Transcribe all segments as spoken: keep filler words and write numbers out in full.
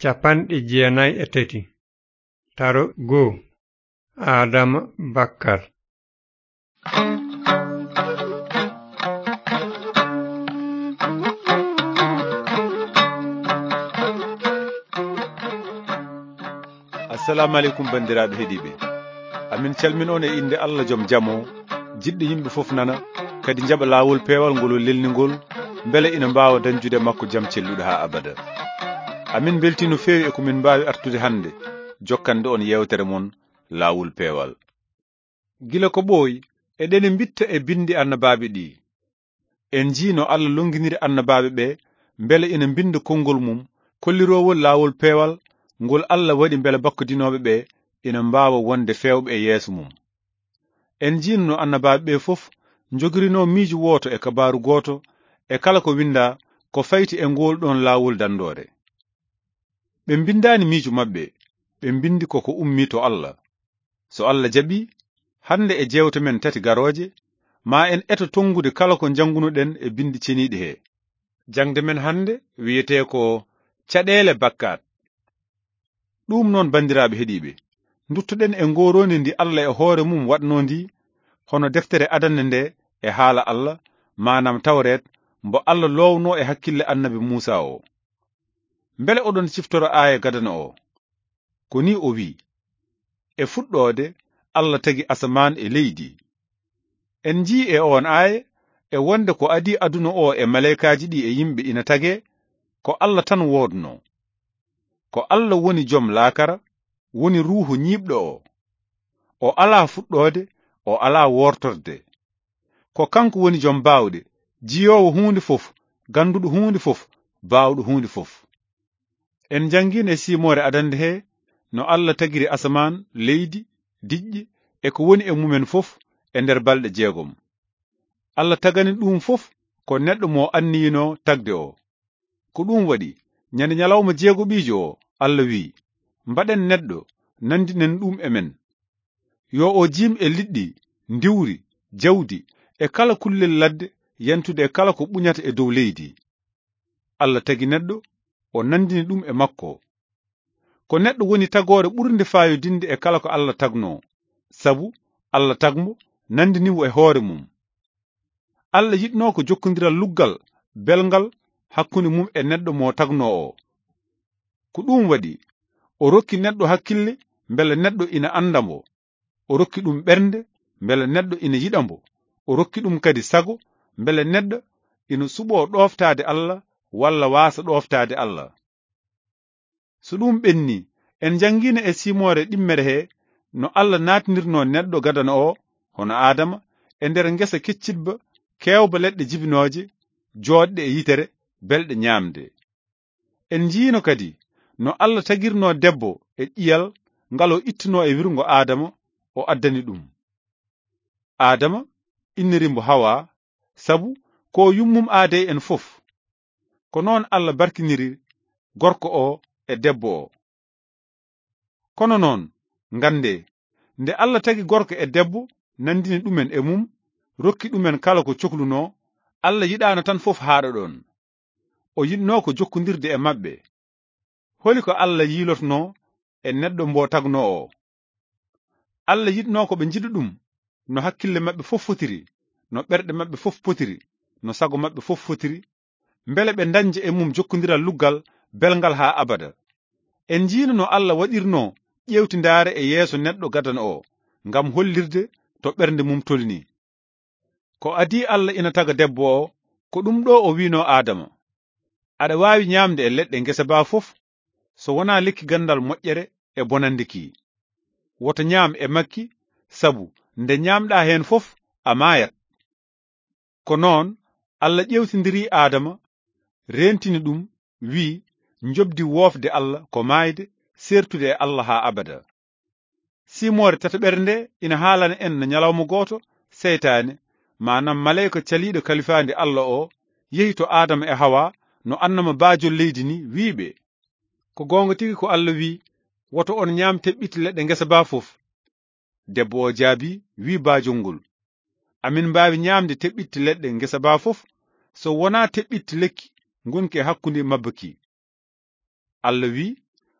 Capanɗe jeenayi e tati. Taro goo. Aadama bakkar. Assalamu aleykum, banndiraaɓe heɗiiɓe. Amin calmin on e innde Allah jom jam o, jiɗɗo yimɓe fof nana, kadi njaɓa laawol peewal ngol o lelni ngol, mbele ina mbaawa dañjude e makko jam celluɗo haa abada. Amin mbeltii no feewi e ko min mbaawi artude hannde, jokkande on yeewtere mon, Laawol Peewal. Gila ko ɓooyi, eɗen mbitta e binndi annabaaɓe ɗi. En njii no Allah lonnginiri annabaaɓe ɓe, mbele ina mbinnda konngol mum, kolliroowol laawol peewal, ngol Allah waɗi mbele bakkadinooɓe ɓe ina mbaawa wonde feewɓe e yeeso mum. En njii no annabaaɓe ɓe fof njogirinoo miijo wooto e kabaaru gooto, e kala ko winndaa ko fayti e ngool ɗoon laawol danndoore. Ɓe mbinndaani miijo maɓɓe, ɓe mbinndi ko ko ummii to Allah. So Allah jaɓii, hannde e jeewte men tati garooje, ma en eto tonngude kala ko njanngunoɗen e binndi ceniiɗi he. Jaŋde men hannde wiyetee ko Caɗeele Bakkaat. Ɗuum noon, banndiraaɓe heɗiiɓe, nduttoɗen e ngooroondi ndi Allah e hoore mum waɗnoo ndi, hono deftere adannde nde e haala Allah, maanaam Tawreet, mbo Allah loownoo e hakkille Annabi Muusaa o. Mbele oɗon ciftora aaya gadano o? Ko nii o wiyi, "E fuɗɗoode, Allah tagi asamaan e leydi." En njii e oon aaya e wonde ko adii aduna o e maleykaaji ɗi e yimɓe ina tagee, ko Allah tan woodnoo. Ko Allah woni jom laakara, woni ruuhu ñiiɓɗo o. O alaa fuɗɗoode, o alaa woortorde. Ko kanko woni jom baawɗe, jiyoowo huunde fof, gannduɗo huunde fof, baawɗo huunde fof. En njanngiino e siimoore adannde he no Allah tagiri asamaan, leydi, diƴƴe e ko woni e mumen fof e nder balɗe jeegom. Allah tagani ɗum fof ko neɗɗo mo anniyinoo tagde o. Ko ɗum waɗi, ñande ñalawma jeegoɓiijo o, Allah wi'i, "Mbaɗen neɗɗo, nanndinen ɗum e men. Yo o jiim e liɗɗi, ndiwri, jawdi, e kala kullel ladde, yentude e kala ko ɓuñata e dow leydi." Allah tagi neɗɗo, o nanndini ɗum e makko. Ko neɗɗo woni tagoore ɓurnde faayodinde e kala ko Allah tagnoo, sabu Allah tagmo nanndini mo e hoore mum. Allah yiɗnoo ko jokkondiral luggal, belngal, hakkunde mum e neɗɗo mo tagnoo o. Ko ɗum waɗi, o rokki neɗɗo hakkille mbele neɗɗo ina annda mo. O rokki ɗum ɓernde mbele neɗɗo ina yiɗa mo. O rokki ɗum kadi sago mbele neɗɗo ina suɓoo ɗooftaade Allah walla waasa ɗooftaade Allah. So ɗum ɓenni, en njanngiino e siimoore ɗimmere he no Allah naatinirnoo neɗɗo gadano o, hono Aadama, e nder ngesa keccitba, keewba leɗɗe jibinooje, jooɗɗe e yitere, belɗe ñaamde. En njiino kadi no Allah tagirnoo debbo e ƴiyal ngal o ittunoo e wirngo Aadama, o addani ɗum. Aadama inniri mbo Hawa, sabu ko yummum aadee en fof. Ko noon Allah barkiniri gorko o e debbo o. Kono noon, nganndee, nde Allah tagi gorko e debbo, nanndini ɗumen e mum, rokki ɗumen kala ko coklunoo, Allah yiɗaano tan fof haaɗa ɗoon. O yiɗnoo ko jokkondirde e maɓɓe. Holi ko Allah yiilotnoo e neɗɗo mbo tagnoo o? Allah yiɗnoo ko ɓe njiɗa ɗum, no hakkille maɓɓe fof fotiri, no ɓerɗe maɓɓe fof potiri, no sago maɓɓe fof fotiri, mbele ɓe ndañja e mum jokkondiral luggal belngal haa abada. En njiino no Allah waɗirnoo ƴeewtindaare e yeeso neɗɗo gadano o, ngam hollirde to ɓernde mum tolni. Ko adii Allah ina taga debbo o, ko ɗum ɗo o wi'noo Aadama, "Aɗa waawi ñaamde e leɗɗe ngesa baa fof, so wonaa lekki ganndal moƴƴere e bonannde ki. Woto ñaam e makki, sabu nde ñaamɗaa heen fof, a maayat." Ko noon Allah ƴeewtindiri Aadama, reentini ɗum, wi'i, "Njoɓdi woofde Allah ko maayde, seertude e Allah haa abada." Siimoore tataɓere nde ina haalana en no ñalawma gooto, seytaane, maanaam maleyka caliiɗo kalifaandi Allah o, yehi to Aadama e Hawa, no annama baajol leydi ni, wi'i ɓe, "Ko goonga tigi ko Allah wi'i, woto on ñaam teɓɓitte leɗɗe ngesa baa fof?" Debbo o jaabii, wi'i baajol ngol, "Amin mbaawi ñaamde teɓɓitte leɗɗe ngesa baa fof, so wonaa teɓɓitte lekki ngonki e hakkunde mabba ki." Allah wi'i,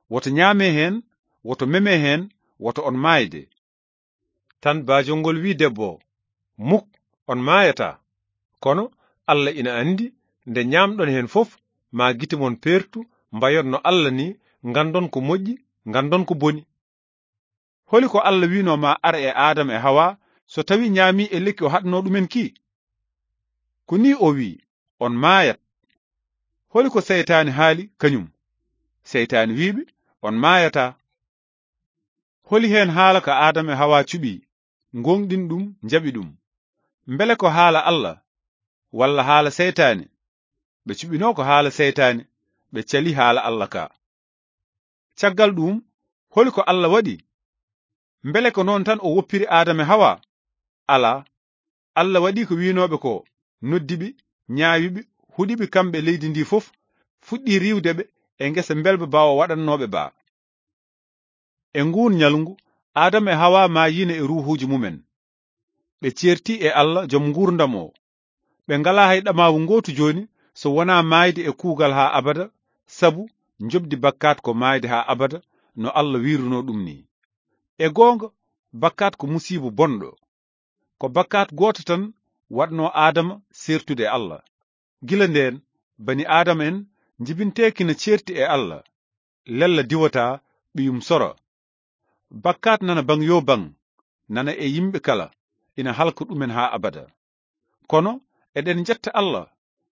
woto ñaame heen, woto meme heen, woto on maayde. Tan baajol ngol wi'i debbo o, muk, on maayataa. Kono Alla ina anndi nde ñaamɗon heen fof, maa gite mon peertu, mbayon no Alla ni, nganndon ko moƴƴi, nganndon ko boni. Holi ko Alla wi'noo ma ar e Aadama e Hawa so tawi ñaami e lekki o haɗnoo ɗumen ki? Ko ni o wi'i, on maayat. Holi ko seytaane haali kañum? Seytaane wi'iɓe, on maayataa. Holi heen haala ka Aadama e Hawa cuɓi, ngooŋɗin ɗum, njaɓi ɗum? Mbele ko haala Alla, walla haala seytaane? Ɓe cuɓinoo ko haala seytaane, ɓe cali haala Alla ka. Caggal ɗum, holi ko Alla waɗi? Mbele ko noon tan o woppiri Aadama e Hawa? Alaa. Alla waɗi ko wi'nooɓe ko, noddi ɓe, ñaawi ɓe, huɗi ɓe kamɓe leydi ndi fof, fuɗɗi riiwde ɓe e ngesa mbelba ba o waɗannooɓe ba. E nguun ñalngu, Aadama e Hawa maayiino e ruuhuuji mumen. Ɓe ceerti e Alla, Jom nguurndam o. Ɓe ngalaa hay ɗamaawu ngootu jooni so wonaa maayde e kuugal haa abada, sabu njoɓdi bakkaat ko maayde haa abada, no Alla wiirunoo ɗum ni. E goonga, bakkaat ko musiiba bonɗo. Ko bakkaat gooto tan waɗnoo Aadama seertude e Alla. Gila ndeen, bani Aadama en njibinteeki na ceerti e Alla, lella diwataa, ɓiyum sora. Bakkaat nana baŋ yoo baŋ, nana e yimɓe kala, ina halka ɗumen haa abada. Kono eɗen njetta Alla,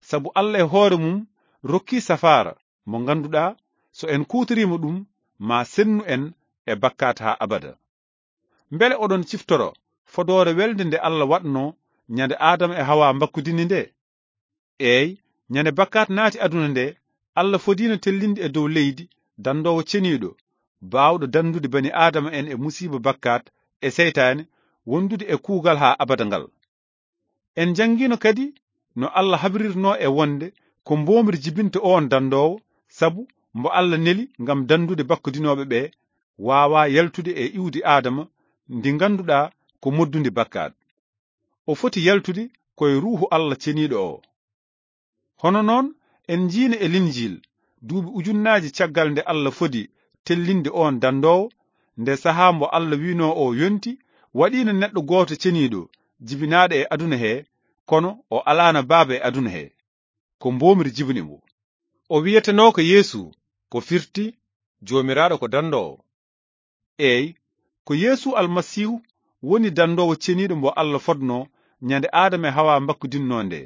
sabu Alla e hoore mum rokkii safaara mo ngannduɗaa so en kuutoriima ɗum, maa sennu en e bakkaat haa abada. Mbele oɗon ciftoro fodoore welde nde Alla waɗnoo ñande Aadama e Hawa mbakkudini nde? Eey, ñande bakkaat naati aduna nde, Alla fodiino tellinde e dow leydi danndoowo ceniiɗo, baawɗo danndude bani Aadama en e musiiba bakkaat e seytaane wondude e kuugal haa abada ngal. En njanngiino kadi no Alla habrirnoo e wonde ko mboomri jibinta oon danndoowo, sabu mbo Alla neli ngam danndude bakkudinooɓe ɓe, waawaa yaltude e iwdi Aadama ndi ngannduɗaa ko moddundi bakkaat. O foti yaltude ko e Ruuhu Alla Ceniiɗo o. Hono noon, en njiino e Linjiil, duuɓi ujunnaaji caggal nde Alla fodi tellinde oon danndoowo, nde sahaa mbo Alla wi'noo o yonti, waɗiino neɗɗo gooto ceniiɗo, jibinaaɗo e aduna he, kono o alaana Baaba e aduna he. Ko mboomri jibini mbo. O wi'etenoo ko Yeesu, ko firti, Joomiraaɗo ko danndoowo. Eey, ko Yeesu Almasiihu woni danndoowo ceniiɗo mbo Alla fodnoo ñande Aadama e Hawa mbakkudinnoo nde.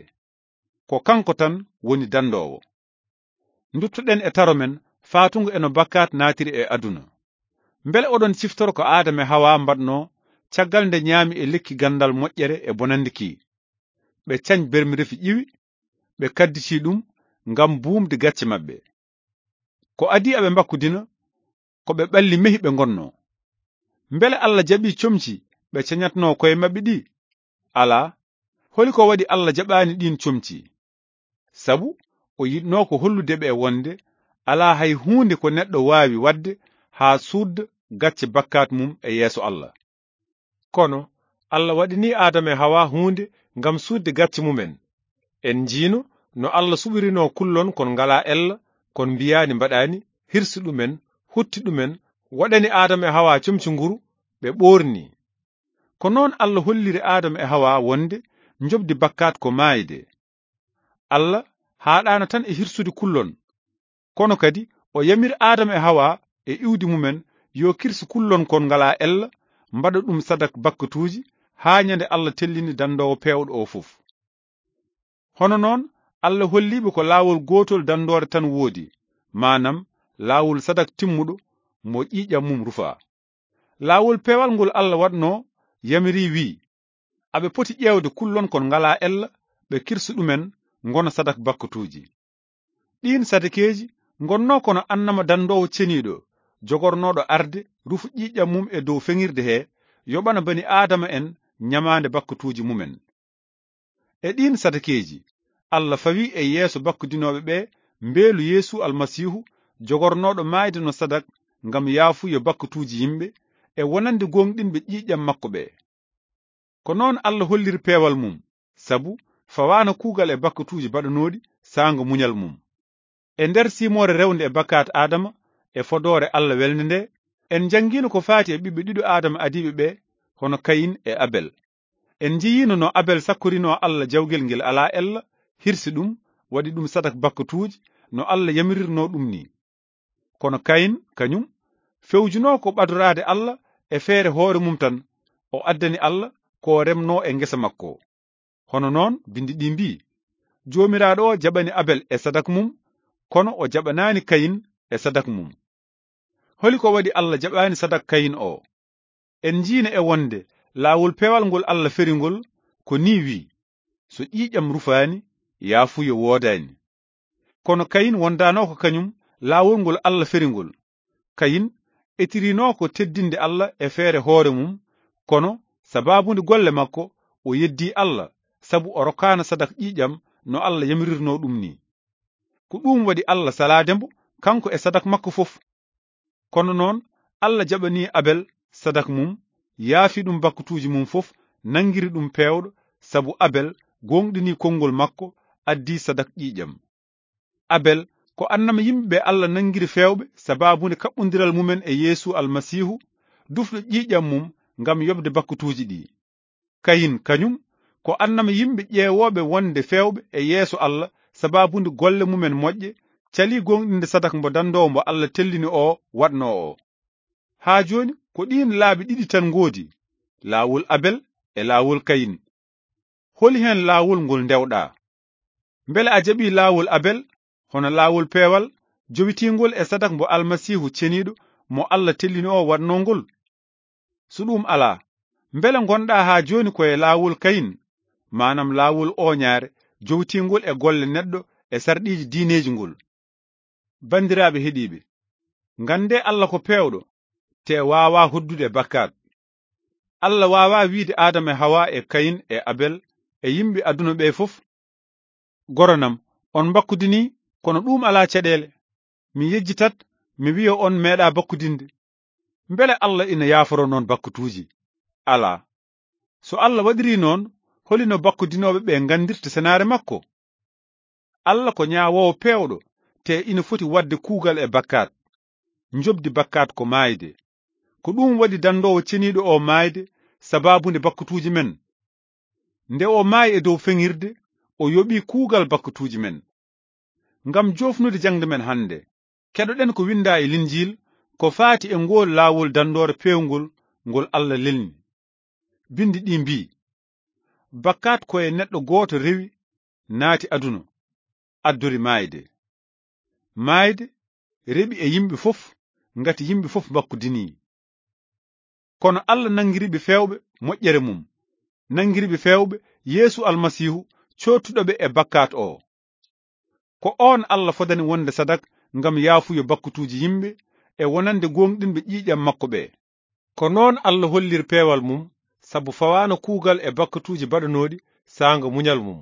Ko kanko tan woni danndoowo. Nduttoɗen e taro men faatungo e no bakkaat naatiri e aduna. Mbele oɗon ciftoro ko Aadama e Hawa mbaɗnoo caggal nde ñaami e lekki ganndal moƴƴere e bonannde ki? Ɓe cañ bermirefi ƴiwi, ɓe kadditi ɗum ngam buumde gacce maɓɓe. Ko adii aɓe mbakkudina, ko ɓe ɓalli mehi ɓe ngonnoo. Mbele Alla jaɓii comci ɓe cañatnoo koye maɓɓe ɗi? Alaa. Holi ko waɗi Alla jaɓaani ɗiin comci? Sabu o yiɗnoo ko hollude ɓe wonde alaa hay huunde ko neɗɗo waawi waɗde haa suudda gacce bakkaat mum e yeeso Alla. Kono Alla waɗanii Aadama e Hawa huunde ngam suudde gacce mumen. En njiino no Alla suɓirinoo kullon kon ngalaa ella, kon mbiyaani mbaɗaani, hirsi ɗumen, hutti ɗumen, waɗani Aadama e Hawa comci nguru, ɓe ɓoorni. Ko noon Alla holliri Aadama e Hawa wonde njoɓdi bakkaat ko maayde. Alla haaɗaana tan e hirsude kullon, kono kadi o yamiri Aadama e Hawa e iwdi mumen yo kirsu kullon kon ngalaa ella, mbaɗa ɗum sadak bakkatuuji haa ñande Alla tellini danndoowo peewɗo o fof. Hono noon, Alla holliiɓe ko laawol gootol danndoore tan woodi, maanam laawol sadak timmuɗo mo ƴiiƴam mum rufaa. Laawol peewal ngol Alla waɗnoo yamiri wi'i, aɓe poti ƴeewde kullon kon ngalaa ella, ɓe kirsa ɗumen ngona sadak bakkatuuji. Ɗiin sadakeeji ngonnoo kono annama danndoowo ceniiɗo, jogornooɗo arde rufu ƴiiƴam mum e dow feŋirde he, yoɓana bani Aadama en ñamaande bakkatuuji mumen. E ɗiin sadakeeji, Alla fawi e yeeso bakkudinooɓe ɓe mbeelu Yeesu Almasiihu, jogornooɗo maayde no sadak ngam yaafuya bakkatuuji yimɓe, e wonande gooŋɗinɓe ƴiiƴam makko ɓe. Ko noon Alla holliri peewal mum, sabu fawaano kuugal e bakkatuuji baɗanooɗi saanga muñal mum. E nder simoore rewnde e bakkaat Aadama, e fodoore Alla welnde nde, en njanngiino ko faati e ɓiɓɓe ɗiɗo Aadama adiiɓe ɓe, hono Kayin e Abel. En njiyiino no Abel sakkorinoo Alla jawgel ngel alaa ella, hirsi ɗum, waɗi ɗum sadak bakkatuuji, no Alla yamirirnoo ɗum nii. Kono Kayin, kañum, fewjunoo ko ɓadoraade Alla e feere hoore mum tan, o addani Alla ko o remnoo e ngesa makko. Hono noon, binndi ɗi mbii, Joomiraaɗo o jaɓani Abel e sadak mum, kono o jaɓanaani Kayin e sadak mum. Holi ko waɗi Alla jaɓaani sadak Kayin o? En njiino e wonde laawol peewal ngol Alla feri ngol ko nii wii, so ƴiiƴam rufaani, yaafuyo woodaani. Kono Kayin wondaano ko kañum laawol ngol Alla feri ngol. Kayin etirinoo ko teddinde Alla e feere hoore mum, kono sabaabu nde golle makko, o yeddii Alla, sabu o rokkaano sadak ƴiiƴam no Alla yamirirnoo ɗum nii. Ko ɗum waɗi Alla salaade mbo, kanko e sadak makko fof. Kono noon, Alla jaɓanii Abel sadak mum, yaafi ɗum bakkatuuji mum fof, nanngiri ɗum peewɗo, sabu Abel gooŋɗinii konngol makko, addii sadak ƴiiƴam. Abel ko annama yimɓe ɓe Alla nanngiri feewɓe sabaabu nde kaɓɓondiral mumen e Yeesu Almasiihu, dufɗo ƴiiƴam mum ngam yoɓde bakkatuuji ɗi. Kayin kañum ko annama yimɓe ƴeewooɓe wonde feewɓe e yeeso Alla sabaabu nde golle mumen moƴƴe, calii gooŋɗinde sadak mbo danndoowo mbo Alla tellini o waɗnoo o. Haa jooni ko ɗiin laabi ɗiɗi tan ngoodi, laawol Abel e laawol Kayin. Holi heen laawol ngol ndewɗaa? Mbele a jaɓii laawol Abel, hono laawol peewal, jowitiingol e sadak mbo Almasiihu ceniiɗo mo Alla tellini o waɗnoo ngol? So ɗum alaa, mbele ngonɗaa haa jooni ko e laawol Kayin, maanaam laawol ooñaare, jowitiingol e golle neɗɗo e sarɗiiji diineeji ngol? Banndiraaɓe heɗiiɓe, nganndee Alla ko peewɗo, te waawaa hoddude e bakkaat. Alla waawaa wiide Aadama e Hawa e Kayin e Abel e yimɓe aduna ɓe fof, "Goronam, on mbakkudinii, kono ɗuum alaa caɗeele. Mi yejjitat, mi wiya on meeɗaa bakkudinde." Mbele Alla ina yaaforo noon bakkatuuji? Alaa. So Alla waɗirii noon, holi no bakkudinooɓe ɓe nganndirta senaare makko? Alla ko ñaawoowo peewɗo, te ina foti waɗde kuugal e bakkaat. Njoɓdi bakkaat ko maayde. Ko ɗum waɗi danndoowo ceniiɗo o maayde sabaabu nde bakkatuuji men. Nde o maayi e dow feŋirde, o yoɓii kuugal bakkatuuji men. Ngam joofnude jaŋde men hannde, keɗoɗen ko winndaa e Linjiil ko faati e ngool laawol danndoore peewngol ngol Alla lelni. Binndi ɗi mbii, "Bakkaat ko e neɗɗo gooto rewi, naati aduna, addori maayde. Maayde rewi e yimɓe fof, ngati yimɓe fof mbakkudinii." Kono Alla nanngiri ɓe feewɓe moƴƴere mum, nanngiri ɓe feewɓe Yeesu Almasiihu, coottuɗo ɓe e bakkaat o. Ko oon Alla fodani wonde sadak ngam yaafuyo bakkatuuji yimɓe e wonande gooŋɗinɓe ƴiiƴam makko ɓe. Ko noon Alla holliri peewal mum, sabu fawaano kuugal e bakkatuuji baɗanooɗi saanga muñal mum.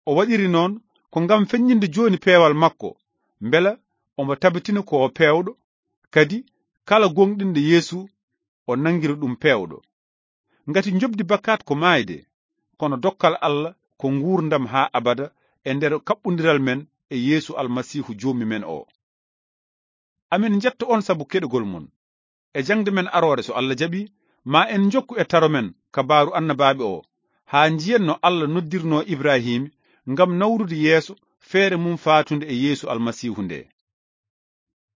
O waɗiri noon ko ngam feññinde jooni peewal makko, mbela omo tabitina ko o peewɗo, kadi kala gooŋɗinɗo Yeesu, o nanngira ɗum peewɗo. Ngati njoɓdi bakkaat ko maayde, kono dokkal Alla ko nguurndam haa abada e nder kaɓɓondiral men e Yeesu Almasiihu Joomi men o. Amin njetta on sabu keɗogol mon. E jaŋde men aroore, so Alla jaɓi, ma en njokku e taro men kabaaru annabaaɓe o, haa njiyen no Alla noddirnoo Ibraahiim ngam nawrude yeeso feere mum faatunde e Yeesu Almasiihu nde.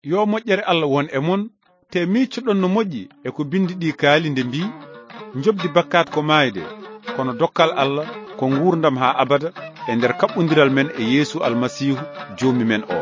Yo moƴƴere Alla won e mon, te miiccoɗon no moƴƴi e ko binndi ɗi kaali nde mbii, "Njoɓdi bakkaat ko maayde, kono dokkal Alla ko nguurndam haa abada e nder kaɓɓondiral men e Yeesu Almasiihu Joomi men o."